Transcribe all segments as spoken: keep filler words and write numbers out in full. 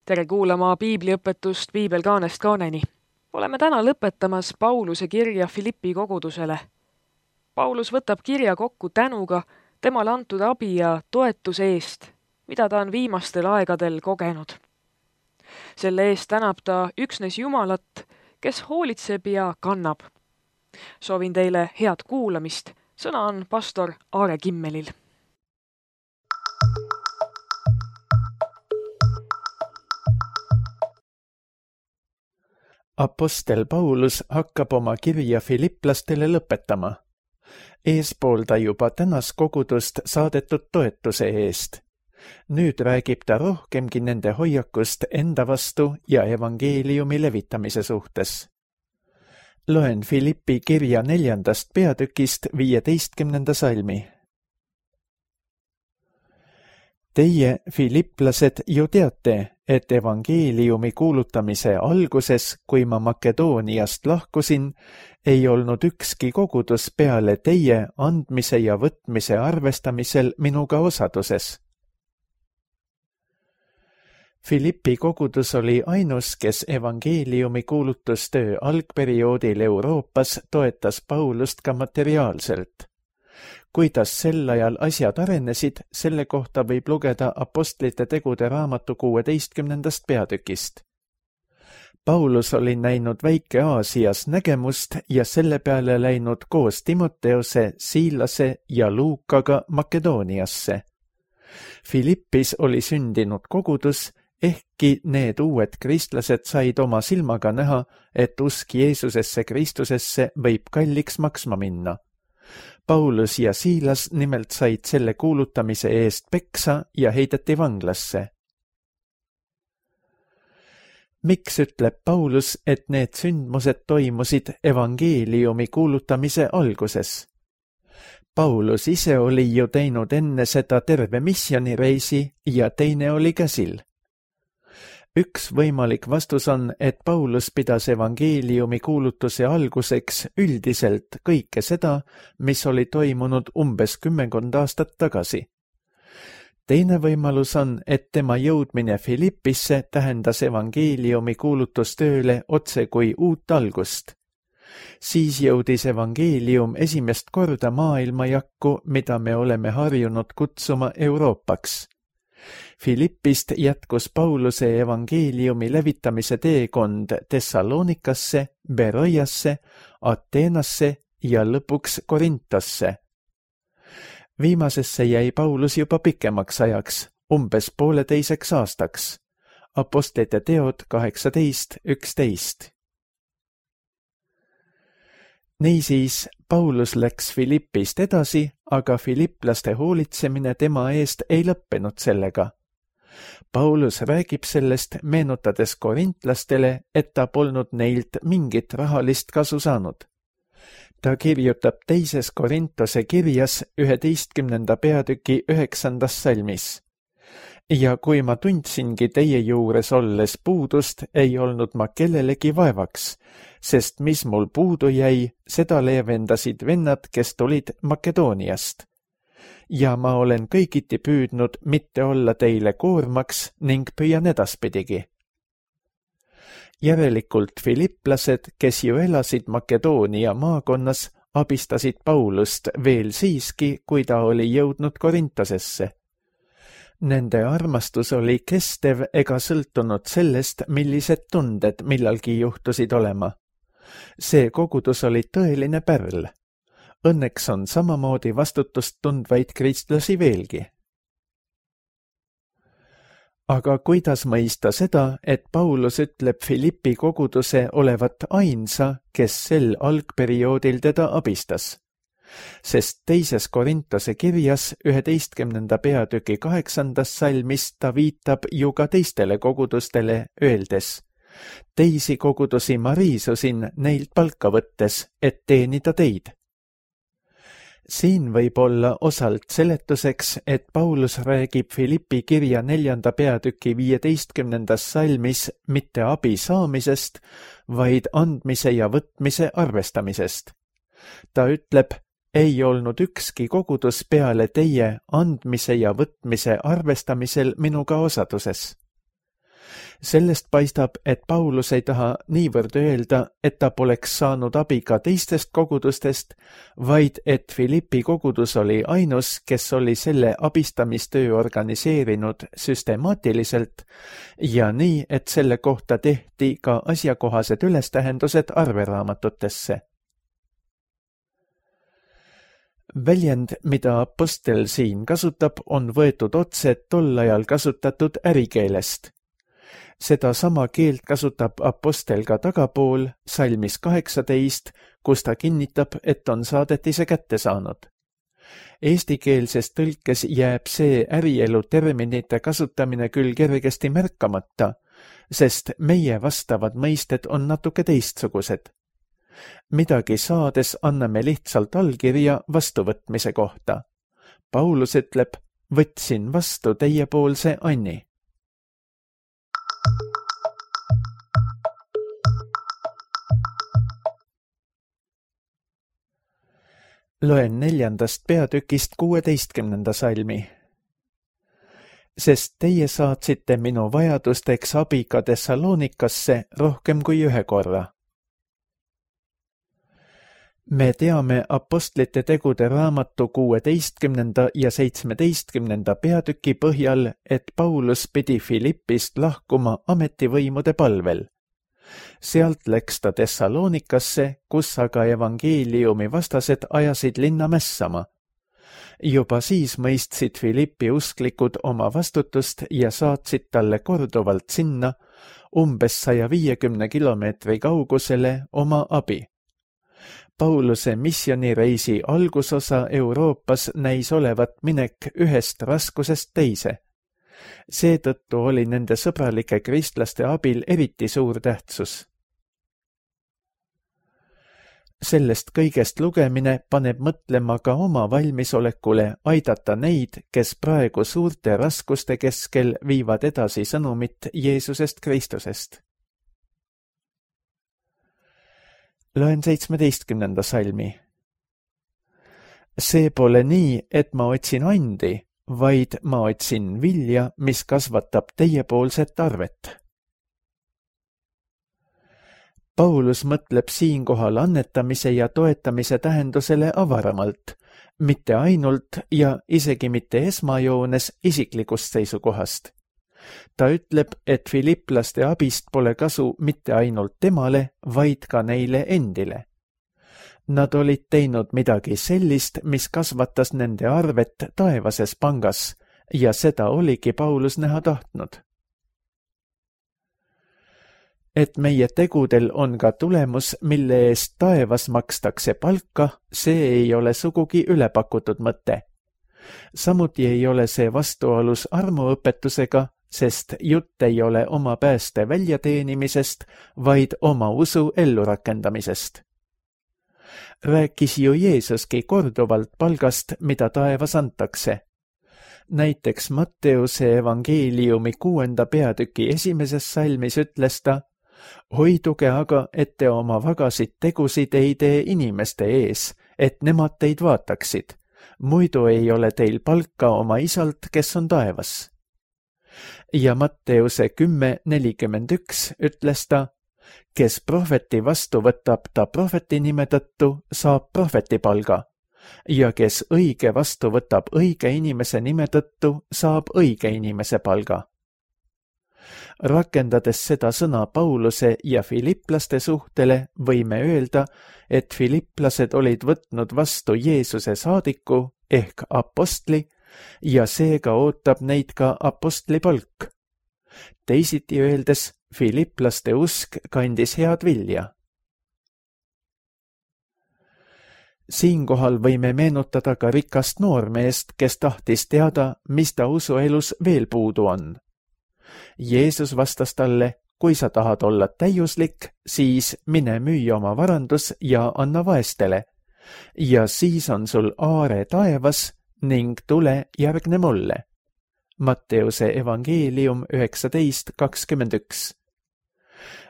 Tere kuulama piibliõpetust Piibel kaanest kaaneni. Oleme täna lõpetamas Pauluse kirja Filippi kogudusele. Paulus võtab kirja kokku tänuga temale antud abi ja toetuse eest, mida ta on viimastel aegadel kogenud. Selle eest tänab ta üksnes Jumalat, kes hoolitseb ja kannab. Soovin teile head kuulamist. Sõna on pastor Aare Kimmelil. Apostel Paulus hakkab oma kirja filipplastele lõpetama. Eespool ta juba tänas kogudust saadetud toetuse eest. Nüüd räägib ta rohkemgi nende hoiakust enda vastu ja evangeeliumi levitamise suhtes. Loen Filippi kirja neljandast peatükist viieteistkümnenda salmi. Teie, filipplased, ju teate, et evangeeliumi kuulutamise alguses, kui ma Makedooniast lahkusin, ei olnud ükski kogudus peale teie andmise ja võtmise arvestamisel minuga osaduses. Filippi kogudus oli ainus, kes evangeeliumi kuulutustöö algperioodil Euroopas toetas Paulust ka materiaalselt. Kuidas sel ajal asjad arenesid, selle kohta võib lugeda Apostlite tegude raamatu kuueteistkümnendast peatükist. Paulus oli näinud Väike-Aasias nägemust ja selle peale läinud koos Timoteose, Siilase ja Luukaga Makedooniasse. Filippis oli sündinud kogudus, ehkki need uued kristlased said oma silmaga näha, et usk Jeesusesse Kristusesse võib kalliks maksma minna. Paulus ja Siilas nimelt said selle kuulutamise eest peksa ja heideti vanglasse. Miks ütleb Paulus, et need sündmused toimusid evangeeliumi kuulutamise alguses? Paulus ise oli ju teinud enne seda terve missioonireisi ja teine oli käsil. Üks võimalik vastus on, et Paulus pidas evangeeliumi kuulutuse alguseks üldiselt kõike seda, mis oli toimunud umbes kümmekond aastat tagasi. Teine võimalus on, et tema jõudmine Filippisse tähendas evangeeliumi kuulutustööle otse kui uut algust. Siis jõudis evangeelium esimest korda maailmajakku, mida me oleme harjunud kutsuma Euroopaks. Filippist jätkus Pauluse evangeeliumi levitamise teekond Thessalonikasse, Beroiasse, Ateenasse ja lõpuks Korintosse. Viimasesse jäi Paulus juba pikemaks ajaks, umbes pooleteiseks aastaks. Apostlite teod kaheksateist üksteist. Niisiis, Paulus läks Filippist edasi, aga filipplaste hoolitsemine tema eest ei lõppenud sellega. Paulus räägib sellest, meenutades korintlastele, et ta polnud neilt mingit rahalist kasu saanud. Ta kirjutab teises Korintose kirjas üheteistkümnenda peatüki üheksandas salmis. Ja kui ma tundsingi teie juures olles puudust, ei olnud ma kellelegi vaevaks, sest mis mul puudu jäi, seda leevendasid vennad, kes tulid Makedooniast. Ja ma olen kõigiti püüdnud mitte olla teile koormaks ning püüan edaspidigi. Järelikult filipplased, kes ju elasid Makedoonia maakonnas, abistasid Paulust veel siiski, kui ta oli jõudnud Korintosesse. Nende armastus oli kestev ega sõltunud sellest, millised tunded millalgi juhtusid olema. See kogudus oli tõeline pärl. Õnneks on samamoodi vastutust tundvaid kristlasi veelgi. Aga kuidas mõista seda, et Paulus ütleb Filippi koguduse olevat ainsa, kes sel algperioodil teda abistas? Sest teises Korintose kirjas üheteistkümnenda peatüki kaheksandas salmis ta viitab ju ka teistele kogudustele, öeldes: teisi kogudusi ma riisusin neilt palka võttes, et teenida teid. Siin võib olla osalt seletuseks, et Paulus räägib Filippi kirja neljanda peatüki viieteistkümnendas salmis mitte abi saamisest, vaid andmise ja võtmise arvestamisest. Ta ütleb: ei olnud ükski kogudus peale teie andmise ja võtmise arvestamisel minuga osaduses. Sellest paistab, et Paulus ei taha niivõrd öelda, et ta poleks saanud abi ka teistest kogudustest, vaid et Philippi kogudus oli ainus, kes oli selle abistamistöö organiseerinud süstemaatiliselt ja nii, et selle kohta tehti ka asjakohased ülestähendused arveraamatutesse. Väljend, mida apostel siin kasutab, on võetud otse tol ajal kasutatud ärikeelest. Seda sama keelt kasutab apostel ka tagapool salmis kaheksateist, kus ta kinnitab, et on saadetise kätte saanud. Eestikeelses tõlkes jääb see ärielu terminite kasutamine küll kergesti märkamata, sest meie vastavad mõisted on natuke teistsugused. Midagi saades anname lihtsalt allkirja vastuvõtmise kohta. Paulus ütleb, võtsin vastu teiepoolse anni. Loen neljandast peatükist kuueteistkümnenda salmi. Sest teie saatsite minu vajadusteks abi ka Thessalonikasse rohkem kui ühe korra. Me teame apostlite tegude raamatu kuueteistkümnenda ja seitsmeteistkümnenda peatüki põhjal, et Paulus pidi Philippist lahkuma ametivõimude palvel. Sealt läks ta Thessalonikasse, kus aga evangeeliumi vastased ajasid linna mässama. Juba siis mõistsid Philippi usklikud oma vastutust ja saatsid talle korduvalt sinna, umbes saja viiekümne kilomeetri kaugusele oma abi. Pauluse missioonireisi algusosa Euroopas näis olevat minek ühest raskusest teise. Seetõttu oli nende sõbralike kristlaste abil eriti suur tähtsus. Sellest kõigest lugemine paneb mõtlema ka oma valmisolekule aidata neid, kes praegu suurte raskuste keskel viivad edasi sõnumit Jeesusest Kristusest. Loen seitsmeteistkümnenda salmi. See pole nii, et ma otsin andi, vaid ma otsin vilja, mis kasvatab teiepoolset arvet. Paulus mõtleb siinkohal annetamise ja toetamise tähendusele avaramalt, mitte ainult ja isegi mitte esmajoones isiklikust seisukohast. Ta ütleb, et filiplaste abist pole kasu mitte ainult temale, vaid ka neile endile. Nad olid teinud midagi sellist, mis kasvatas nende arvet taevases pangas ja seda oligi Paulus näha tahtnud. Et meie tegudel on ka tulemus, mille eest taevas makstakse palka, see ei ole sugugi ülepakutud mõte. Samuti ei ole see vastuolus armuõpetusega, sest jutt ei ole oma pääste väljateenimisest, vaid oma usu ellurakendamisest. Rääkis ju Jeesuski korduvalt palgast, mida taevas antakse. Näiteks Matteuse evangeeliumi kuuenda peatüki esimeses salmis ütles ta, hoiduge aga, et te oma vagasid tegusid ei tee inimeste ees, et nemad teid vaataksid. Muidu ei ole teil palka oma isalt, kes on taevas. Ja Matteuse kümme nelikümmend üks ütles ta, kes prohveti vastu võtab ta prohveti nime tõttu, saab prohveti palga, ja kes õige vastu võtab õige inimese nime tõttu, saab õige inimese palga. Rakendades seda sõna Pauluse ja filiplaste suhtele, võime öelda, et filiplased olid võtnud vastu Jeesuse saadiku ehk apostli ja seega ootab neid ka apostli palk. Teisiti öeldes, filiplaste usk kandis head vilja. Siinkohal võime meenutada ka rikast noormeest, kes tahtis teada, mis ta usuelus veel puudu on. Jeesus vastas talle, kui sa tahad olla täiuslik, siis mine müü oma varandus ja anna vaestele, ja siis on sul aare taevas ning tule järgne mulle. Matteuse evangeelium üheksateist kakskümmend üks.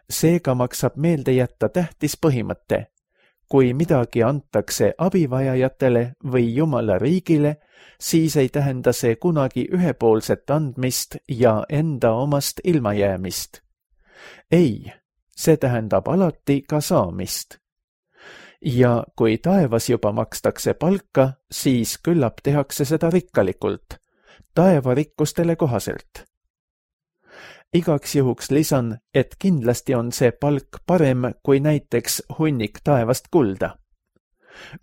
Seega maksab meelde jätta tähtis põhimõte. kui midagi antakse abivajajatele või Jumala riigile, siis ei tähenda see kunagi ühepoolset andmist ja enda omast ilmajäämist. Ei, see tähendab alati ka saamist. Ja kui taevas juba makstakse palka, siis küllap tehakse seda rikkalikult, taevarikkustele kohaselt. Igaks juhuks lisan, et kindlasti on see palk parem kui näiteks hunnik taevast kulda.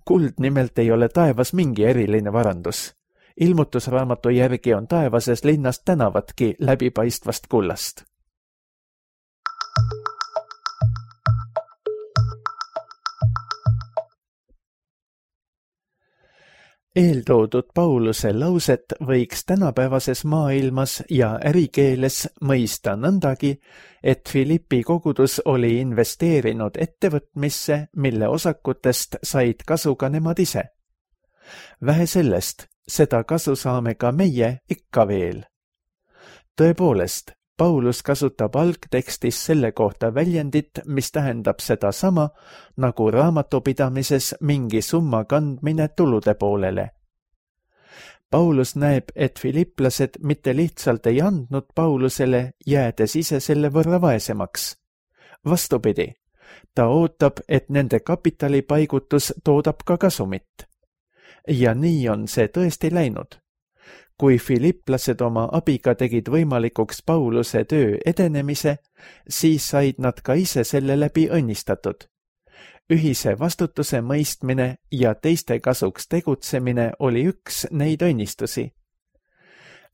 Kuld nimelt ei ole taevas mingi eriline varandus. Ilmutusraamatu järgi on taevases linnas tänavatki läbipaistvast kullast. Eeltoodud Pauluse lauset võiks tänapäevases maailmas ja ärikeeles mõista nõndagi, et Filippi kogudus oli investeerinud ettevõtmisse, mille osakutest said kasu ka nemad ise. Vähe sellest, seda kasu saame ka meie ikka veel. Tõepoolest, Paulus kasutab algtekstis selle kohta väljendit, mis tähendab seda sama, nagu raamatupidamises mingi summa kandmine tulude poolele. Paulus näeb, et filiplased mitte lihtsalt ei andnud Paulusele, jäädes ise selle võrra vaesemaks. Vastupidi, ta ootab, et nende kapitalipaigutus toodab ka kasumit. Ja nii on see tõesti läinud. Kui filiplased oma abiga tegid võimalikuks Pauluse töö edenemise, siis said nad ka ise selle läbi õnnistatud. Ühise vastutuse mõistmine ja teiste kasuks tegutsemine oli üks neid õnnistusi.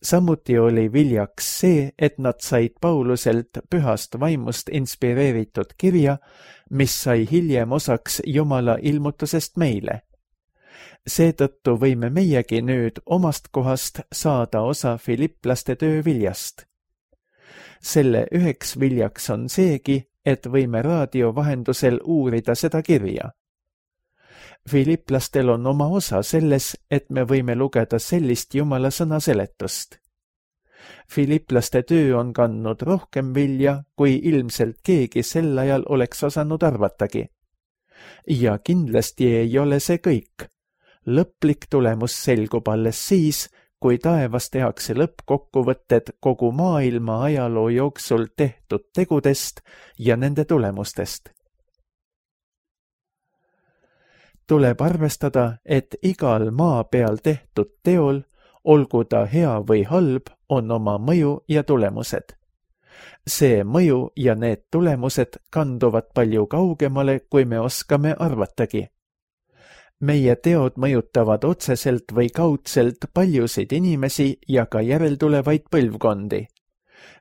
Samuti oli viljaks see, et nad said Pauluselt pühast vaimust inspireeritud kirja, mis sai hiljem osaks Jumala ilmutusest meile. Seetõttu võime meiegi nüüd omast kohast saada osa filiplaste töö viljast. Selle üheks viljaks on seegi, et võime raadio vahendusel uurida seda kirja. Filiplastel on oma osa selles, et me võime lugeda sellist Jumala sõna seletust. Filiplaste töö on kandnud rohkem vilja, kui ilmselt keegi sel ajal oleks osanud arvatagi. Ja kindlasti ei ole see kõik. Lõplik tulemus selgub alles siis, kui taevas tehakse lõppkokkuvõtted kogu maailma ajaloo jooksul tehtud tegudest ja nende tulemustest. Tuleb arvestada, et igal maa peal tehtud teol, olgu ta hea või halb, on oma mõju ja tulemused. See mõju ja need tulemused kanduvad palju kaugemale, kui me oskame arvatagi. Meie teod mõjutavad otseselt või kaudselt paljusid inimesi ja ka järeltulevaid põlvkondi.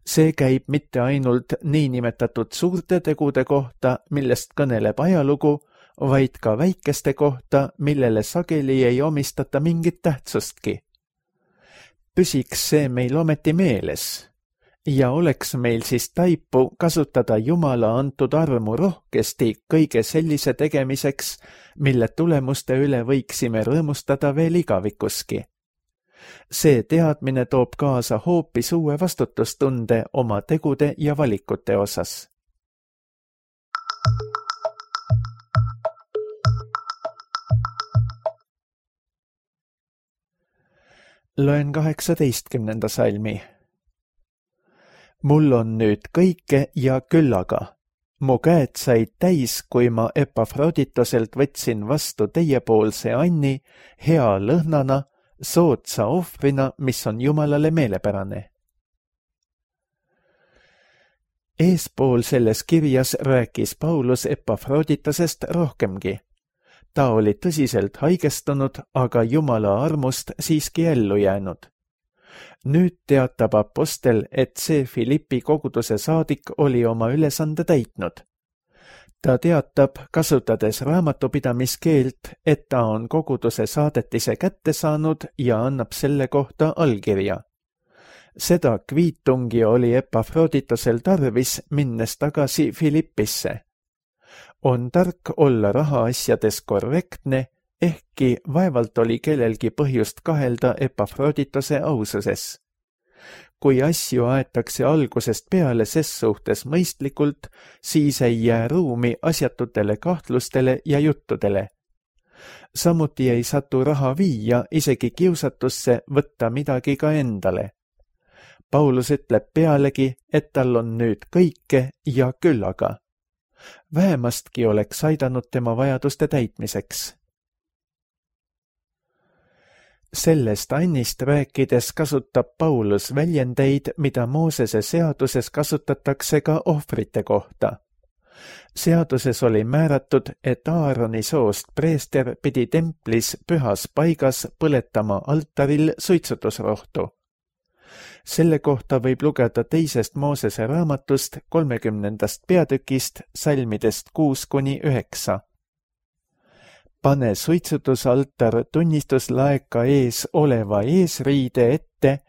See käib mitte ainult niinimetatud suurte tegude kohta, millest kõneleb ajalugu, vaid ka väikeste kohta, millele sageli ei omistata mingit tähtsustki. Püsiks see meil ometi meeles. Ja oleks meil siis taipu kasutada Jumala antud armu rohkesti kõige sellise tegemiseks, mille tulemuste üle võiksime rõõmustada veel igavikuski. See teadmine toob kaasa hoopis uue vastutustunde oma tegude ja valikute osas. Loen kaheksateistkümnenda salmi. Mul on nüüd kõike ja küllaga. Mu käed said täis, kui ma Epafroditoselt võtsin vastu teiepoolse anni, hea lõhnana, soodsa ohvrina, mis on Jumalale meelepärane. Eespool selles kirjas rääkis Paulus Epafroditosest rohkemgi. Ta oli tõsiselt haigestunud, aga Jumala armust siiski ellu jäänud. Nüüd teatab apostel, et see Filippi koguduse saadik oli oma ülesande täitnud. Ta teatab, kasutades raamatupidamiskeelt, et ta on koguduse saadetise kätte saanud ja annab selle kohta allkirja. Seda kviitungi oli Epafroditosel tarvis, minnes tagasi Filippisse. On tark olla rahaasjades korrektne, ehkki vaevalt oli kellelgi põhjust kahelda Epafroditose aususes. kui asju aetakse algusest peale ses suhtes mõistlikult, siis ei jää ruumi asjatutele kahtlustele ja juttudele. Samuti ei satu raha viia isegi kiusatusse võtta midagi ka endale. Paulus ütleb pealegi, et tal on nüüd kõike ja küllaga. Vähemastki oleks aidanud tema vajaduste täitmiseks. Sellest annist rääkides kasutab Paulus väljendeid, mida Moosese seaduses kasutatakse ka ohvrite kohta. Seaduses oli määratud, et Aaroni soost preester pidi templis pühas paigas põletama altaril suitsutusrohtu. Selle kohta võib lugeda teisest Moosese raamatust kolmekümnendast peatükist salmidest kuus kuni üheksa. Pane suitsutusaltar tunnistuslaeka ees oleva eesriide ette,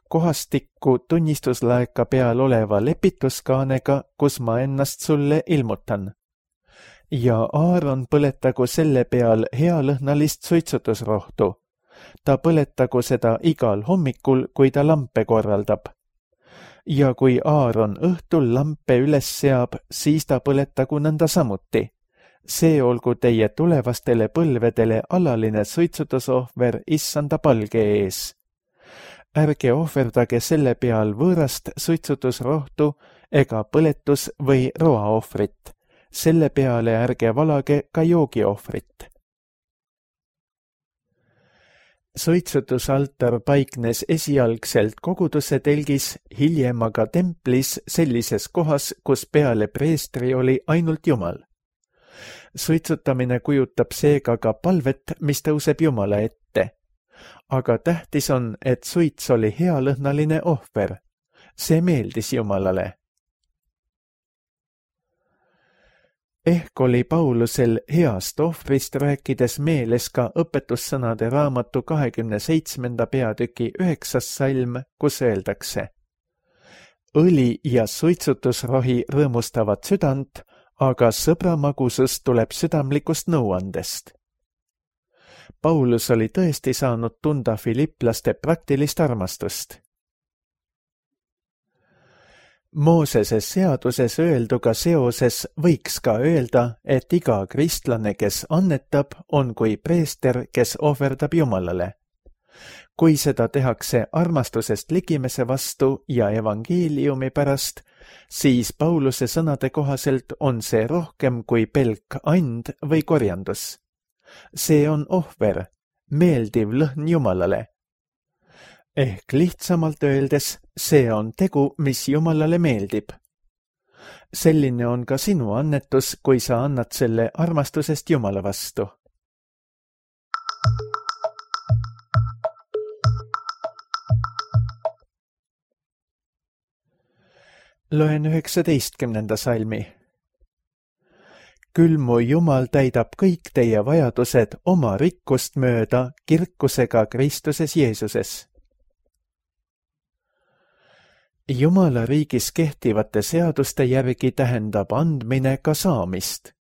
kohastikku tunnistuslaeka peal oleva lepituskaanega, kus ma ennast sulle ilmutan. Ja Aaron põletagu selle peal healõhnalist suitsutusrohtu. Ta põletagu seda igal hommikul, kui ta lampe korraldab. Ja kui Aaron õhtul lampe üles seab, siis ta põletagu nõnda samuti. See olgu teie tulevastele põlvedele alaline suitsutusohver issanda palge ees. Ärge ohverdage selle peal võõrast suitsutusrohtu ega põletus- või roaohvrit. Selle peale ärge valage ka joogiohvrit. Suitsutusaltar paiknes esialgselt koguduse telgis, hiljem aga templis sellises kohas, kus peale preestri oli ainult Jumal. Suitsutamine kujutab seega ka palvet, mis tõuseb Jumala ette. Aga tähtis on, et suits oli healõhnaline ohver. See meeldis Jumalale. Ehk oli Paulusel heast ohvrist rääkides meeles ka õpetussõnade raamatu kahekümne seitsmenda peatüki üheksas salm, kus öeldakse: õli ja suitsutusrohi rõõmustavad südant, aga sõbra magusus tuleb südamlikust nõuandest. Paulus oli tõesti saanud tunda filiplaste praktilist armastust. Moosese seaduses öelduga seoses võiks ka öelda, et iga kristlane, kes annetab, on kui preester, kes ohverdab Jumalale. Kui seda tehakse armastusest ligimese vastu ja evangeeliumi pärast, siis Pauluse sõnade kohaselt on see rohkem kui pelk and või korjandus. See on ohver, meeldiv lõhn Jumalale. Ehk lihtsamalt öeldes, see on tegu, mis Jumalale meeldib. Selline on ka sinu annetus, kui sa annad selle armastusest Jumala vastu. Loen üheksateistkümnenda salmi. Küll mu Jumal täidab kõik teie vajadused oma rikkust mööda kirkusega Kristuses Jeesuses. Jumala riigis kehtivate seaduste järgi tähendab andmine ka saamist.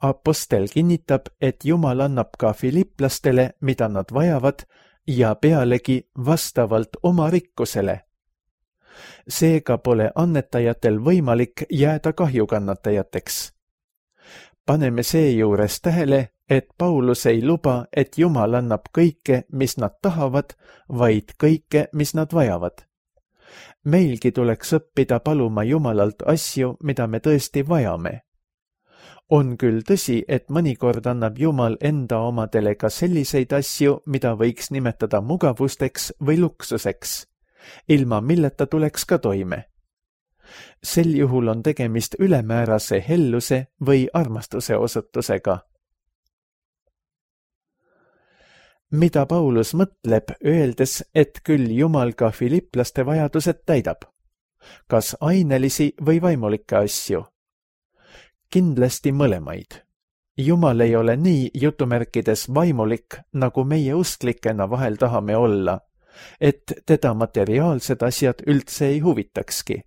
Apostel kinnitab, et Jumal annab ka filiplastele, mida nad vajavad, ja pealegi vastavalt oma rikkusele. Seega pole annetajatel võimalik jääda kahjukannatajateks. Paneme seejuures tähele, et Paulus ei luba, et Jumal annab kõike, mis nad tahavad, vaid kõike, mis nad vajavad. Meilgi tuleks õppida paluma Jumalalt asju, mida me tõesti vajame. On küll tõsi, et mõnikord annab Jumal enda omadele ka selliseid asju, mida võiks nimetada mugavusteks või luksuseks, ilma milleta tuleks ka toime. Sel juhul on tegemist ülemäärase helluse või armastuse osutusega. Mida Paulus mõtleb, öeldes, et küll Jumal ka filiplaste vajadused täidab? Kas ainelisi või vaimulikke asju? Kindlasti mõlemaid. Jumal ei ole nii jutumärkides vaimulik, nagu meie usklikena vahel tahame olla, et teda materiaalsed asjad üldse ei huvitakski.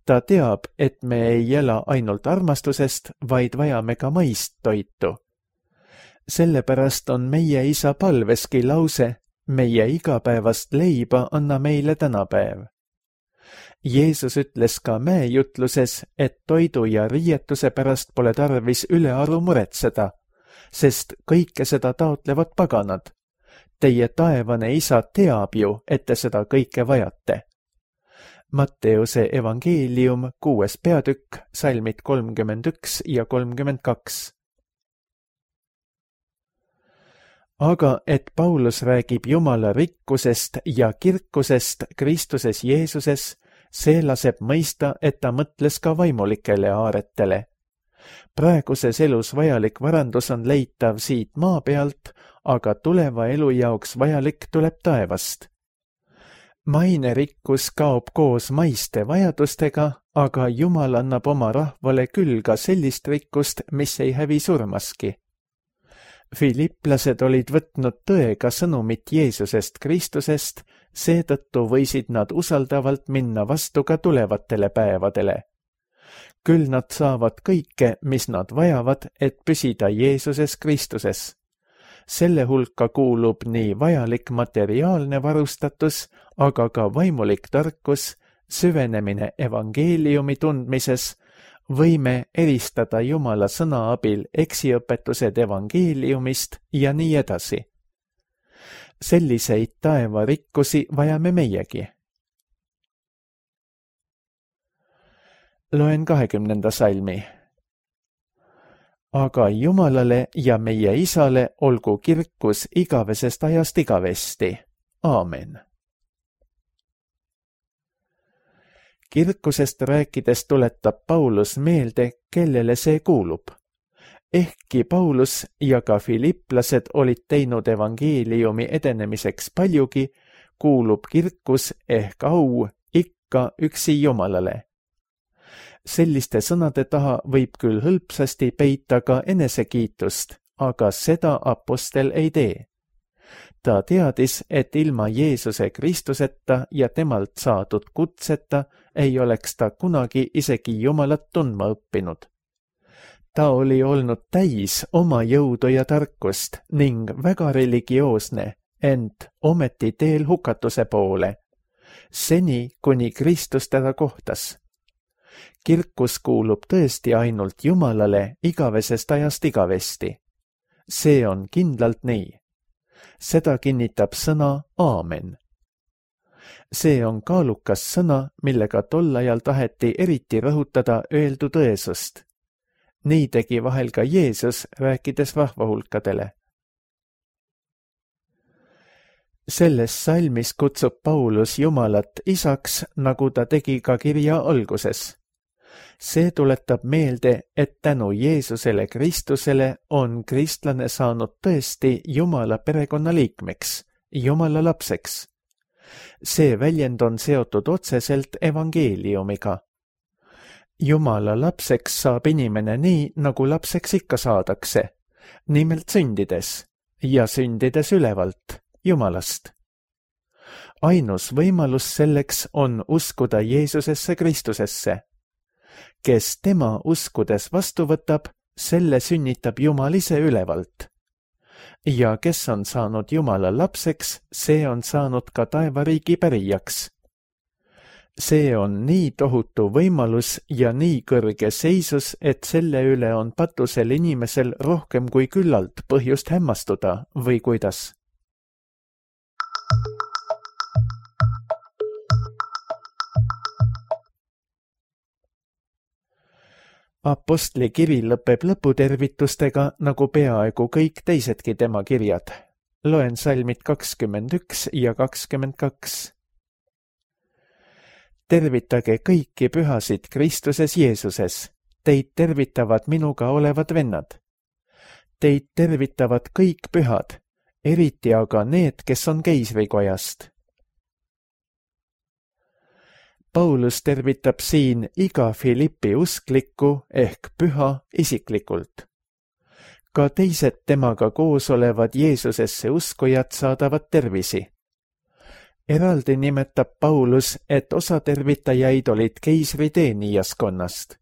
Ta teab, et me ei ela ainult armastusest, vaid vajame ka maist toitu. Sellepärast on meie isa palveski lause, meie igapäevast leiba anna meile tänapäev. Jeesus ütles ka mäejutluses, et toidu ja riietuse pärast pole tarvis ülearu muretseda, sest kõike seda taotlevad paganad. Teie taevane isa teab ju, et te seda kõike vajate. Matteuse evangeelium, kuues peatükk, salmid kolmkümmend üks ja kolmkümmend kaks. Aga et Paulus räägib Jumala rikkusest ja kirkusest Kristuses Jeesuses, see laseb mõista, et ta mõtles ka vaimulikele aaretele. Praeguses elus vajalik varandus on leitav siit maa pealt, aga tuleva elu jaoks vajalik tuleb taevast. Maine rikkus kaob koos maiste vajadustega, aga Jumal annab oma rahvale küll ka sellist rikkust, mis ei hävi surmaski. Filipplased olid võtnud tõega sõnumit Jeesusest Kristusest, seetõttu võisid nad usaldavalt minna vastu ka tulevatele päevadele. Küll nad saavad kõike, mis nad vajavad, et püsida Jeesuses Kristuses. Selle hulka kuulub nii vajalik materiaalne varustatus, aga ka vaimulik tarkus, süvenemine evangeeliumi tundmises, võime eristada Jumala sõna abil eksiõpetused evangeeliumist ja nii edasi. Selliseid taevarikkusi vajame meiegi. Loen kahekümnenda salmi. Aga Jumalale ja meie Isale olgu kirkus igavesest ajast igavesti. Aamen. Kirkusest rääkides tuletab Paulus meelde, kellele see kuulub. Ehkki Paulus ja ka filipplased olid teinud evangeeliumi edenemiseks paljugi, kuulub kirkus ehk au ikka üksi Jumalale. Selliste sõnade taha võib küll hõlpsasti peita ka enesekiitust, aga seda apostel ei tee. Ta teadis, et ilma Jeesuse Kristuseta ja temalt saadud kutseta ei oleks ta kunagi isegi Jumalat tundma õppinud. Ta oli olnud täis oma jõudu ja tarkust ning väga religioosne, ent ometi teel hukatuse poole, seni kuni Kristus teda kohtas. Kirkus kuulub tõesti ainult Jumalale igavesest ajast igavesti. See on kindlalt nii. Seda kinnitab sõna aamen. See on kaalukas sõna, millega tol ajal taheti eriti rõhutada öeldu tõesust. Nii tegi vahel ka Jeesus, rääkides rahvahulkadele. Selles salmis kutsub Paulus Jumalat isaks, nagu ta tegi ka kirja alguses. See tuletab meelde, et tänu Jeesusele Kristusele on kristlane saanud tõesti Jumala perekonna liikmeks, Jumala lapseks. See väljend on seotud otseselt evangeeliumiga. Jumala lapseks saab inimene nii, nagu lapseks ikka saadakse, nimelt sündides ja sündides ülevalt, Jumalast. Ainus võimalus selleks on uskuda Jeesusesse Kristusesse. Kes tema uskudes vastu võtab, selle sünnitab Jumal ise ülevalt. Ja kes on saanud Jumala lapseks, see on saanud ka taevariigi pärijaks. See on nii tohutu võimalus ja nii kõrge seisus, et selle üle on patusel inimesel rohkem kui küllalt põhjust hämmastuda või kuidas. Apostli kiri lõpeb lõputervitustega, nagu peaaegu kõik teisedki tema kirjad. Loen salmid kakskümmend üks ja kakskümmend kaks. Tervitage kõiki pühasid Kristuses Jeesuses. Teid tervitavad minuga olevad vennad. Teid tervitavad kõik pühad, eriti aga need, kes on keisrikojast. Paulus tervitab siin iga Filippi usklikku ehk püha isiklikult. Ka teised temaga koos olevad Jeesusesse uskujad saadavad tervisi. Eraldi nimetab Paulus, et osa tervitajaid olid keisri teenijaskonnast.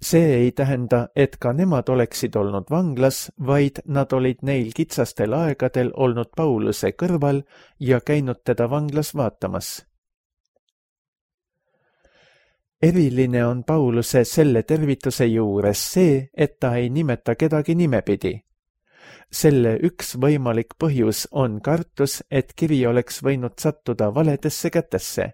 see ei tähenda, et ka nemad oleksid olnud vanglas, vaid nad olid neil kitsastel aegadel olnud Pauluse kõrval ja käinud teda vanglas vaatamas. Eriline on Pauluse selle tervituse juures see, et ta ei nimeta kedagi nimepidi. Selle üks võimalik põhjus on kartus, et kiri oleks võinud sattuda valedesse kätesse.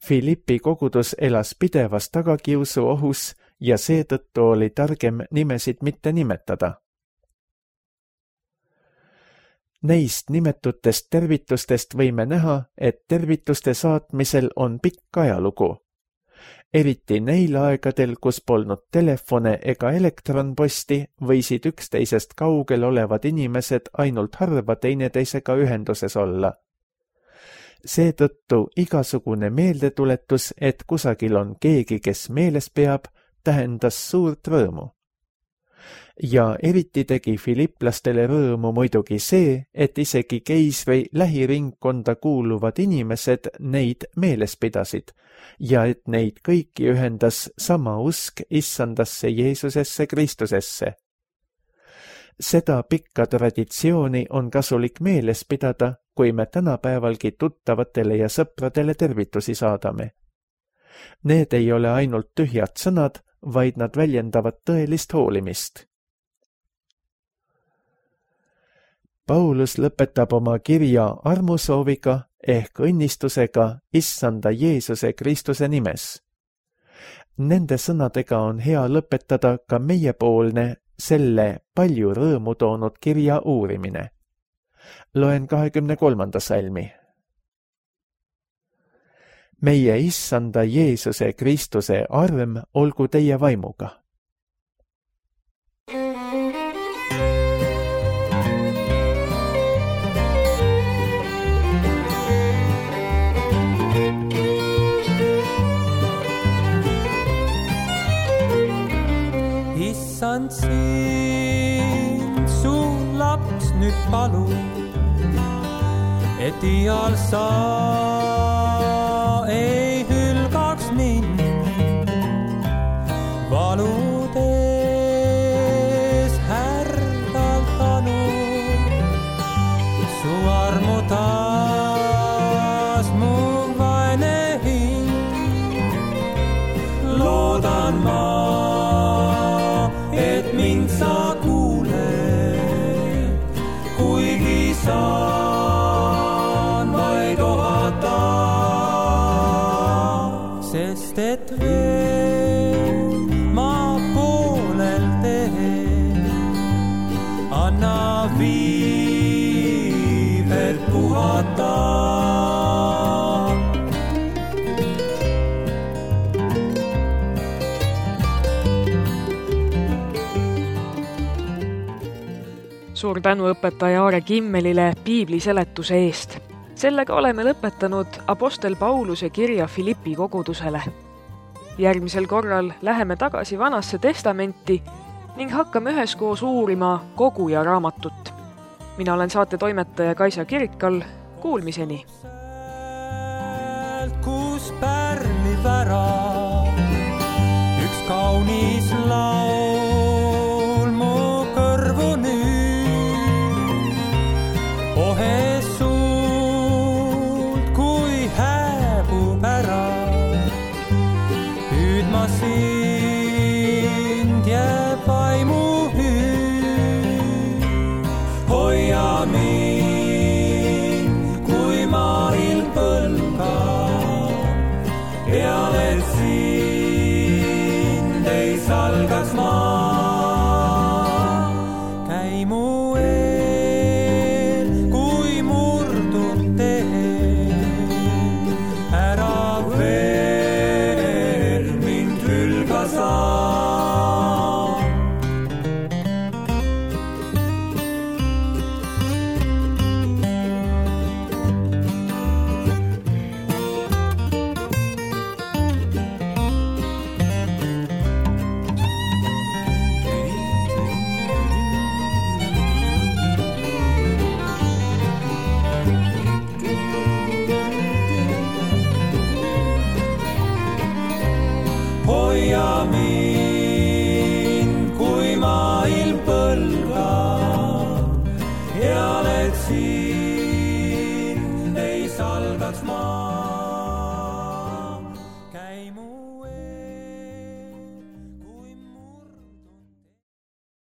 Filippi kogudus elas pidevas tagakiusu ohus ja seetõttu oli targem nimesid mitte nimetada. Neist nimetutest tervitustest võime näha, et tervituste saatmisel on pikk ajalugu. Eriti neil aegadel, kus polnud telefone ega elektronposti, võisid üksteisest kaugel olevad inimesed ainult harva teineteisega ühenduses olla. Seetõttu igasugune meeldetuletus, et kusagil on keegi, kes meeles peab, tähendas suurt rõõmu. Ja eriti tegi filipplastele rõõmu muidugi see, et isegi keisri lähiringkonda kuuluvad inimesed neid meeles pidasid ja et neid kõiki ühendas sama usk issandasse Jeesusesse Kristusesse. Seda pikka traditsiooni on kasulik meeles pidada, kui me tänapäevalgi tuttavatele ja sõpradele tervitusi saadame. Need ei ole ainult tühjad sõnad, vaid nad väljendavad tõelist hoolimist. Paulus lõpetab oma kirja armusooviga ehk õnnistusega issanda Jeesuse Kristuse nimes. Nende sõnadega on hea lõpetada ka meiepoolne selle palju rõõmu toonud kirja uurimine. Loen kahekümne kolmanda salmi. Meie issanda Jeesuse Kristuse arm olgu teie vaimuga. Issand sind, su laps nüüd palu, et ial sa ei hülgaks mind valudes härdalt anu. Su armu taas mu vaene hing, loodan ma, et mind sa kuuled, kuigi saan vaid ohata, sest et veel ma poolel teen, anna viivet puhata. Suur tänu õpetaja Aare Kimmelile piibli seletuse eest. Sellega oleme lõpetanud apostel Pauluse kirja Filippi kogudusele. Järgmisel korral läheme tagasi Vanasse testamenti ning hakkame üheskoos uurima koguja raamatut. Mina olen saate toimetaja Kaisa Kirikal. Kuulmiseni! Kus pärlib ära üks kaunis laul.